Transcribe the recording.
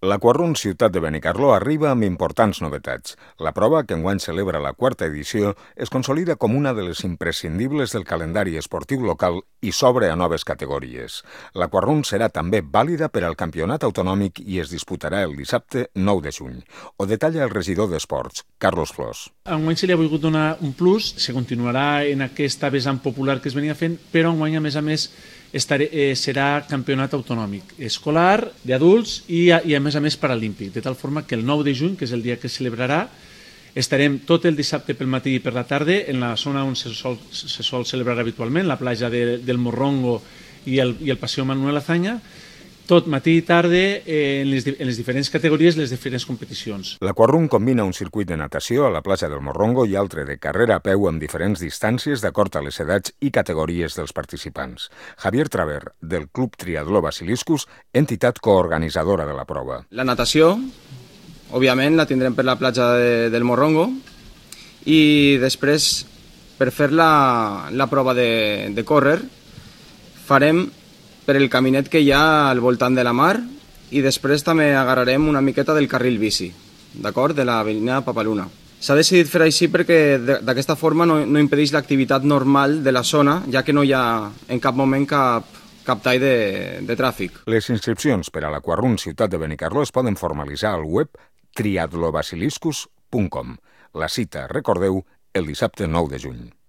L'Aquarun Ciutat de Benicarló arriba amb importants novetats. La prova, que enguany celebra la 4ª edició, es consolida com una de les imprescindibles del calendari esportiu local i s'obre a noves categories. L'Aquarun serà també vàlida per al campionat autonòmic i es disputarà el dissabte 9 de juny. Ho detalla el regidor d'Esports, Carlos Flors. Enguany se li ha volgut donar un plus, se continuarà en aquesta vessant popular que es venia fent, però enguany, a més, serà campionat autonòmic, escolar, d'adults i a més paralímpic, de tal forma que el 9 de juny, que és el dia que es celebrarà, estarem tot el dissabte pel matí i per la tarda en la zona on se sol celebrar habitualment, la platja del Morrongo i el Passeig Manuel Azaña, tot matí i tarda en les diferents categories, les diferents competicions. L'Aquarun combina un circuit de natació a la platja del Morrongo i altre de carrera a peu amb diferents distàncies d'acord a les edats i categories dels participants. Javier Traver, del Club Triatló Basiliscus, entitat coorganitzadora de la prova. La natació, òbviament, la tindrem per la platja del Morrongo i després, per fer la prova de córrer, farem per el caminet que hi ha al voltant de la mar i després també agarrarem una miqueta del carril bici, d'acord? De l'avinguda Papaluna. S'ha decidit fer així perquè d'aquesta forma no impedeix l'activitat normal de la zona, ja que no hi ha en cap moment cap tall de tràfic. Les inscripcions per a l'Aquarun Ciutat de Benicarló es poden formalitzar al web triatlobasiliscus.com. La cita, recordeu, el dissabte 9 de juny.